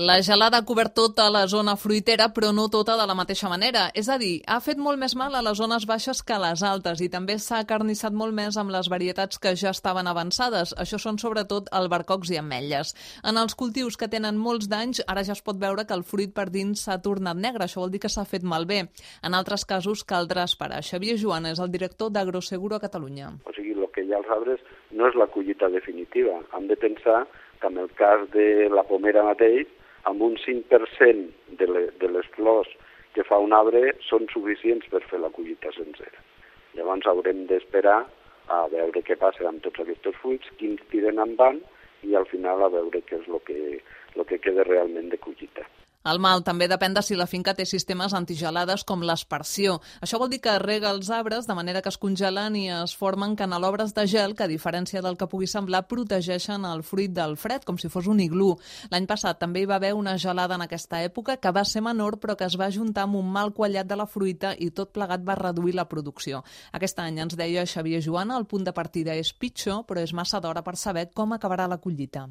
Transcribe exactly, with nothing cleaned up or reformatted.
La gelada ha cobert tota la zona fruitera, però no tota de la mateixa manera. És a dir, ha fet molt més mal a les zones baixes que a les altes i també s'ha acarnissat molt més amb les varietats que ja estaven avançades. Això són sobretot albercocs i ametlles. En els cultius que tenen molts danys, ara ja es pot veure que el fruit per dins s'ha tornat negre. Això vol dir que s'ha fet malbé. En altres casos caldrà esperar. Xavier Joan és el director d'Agroseguro a Catalunya. O sigui, el que hi ha als arbres no és la collita definitiva. Hem de pensar que en el cas de la pomera mateix, amb un cinc per cent de, le, de les flors que fa un arbre són suficients per fer la collita sencera. Llavors haurem d'esperar a veure què passa amb tots aquests fruits, quins tiren en van i al final a veure què és el que, el que queda realment de collita. El mal també depèn de si la finca té sistemes antigelades com l'aspersió. Això vol dir que rega els arbres de manera que es congelen i es formen canalobres de gel que, a diferència del que pugui semblar, protegeixen el fruit del fred, com si fos un iglú. L'any passat també hi va haver una gelada en aquesta època que va ser menor però que es va juntar amb un mal quallat de la fruita i tot plegat va reduir la producció. Aquest any, ens deia Xavier Joan, el punt de partida és pitjor, però és massa d'hora per saber com acabarà la collita.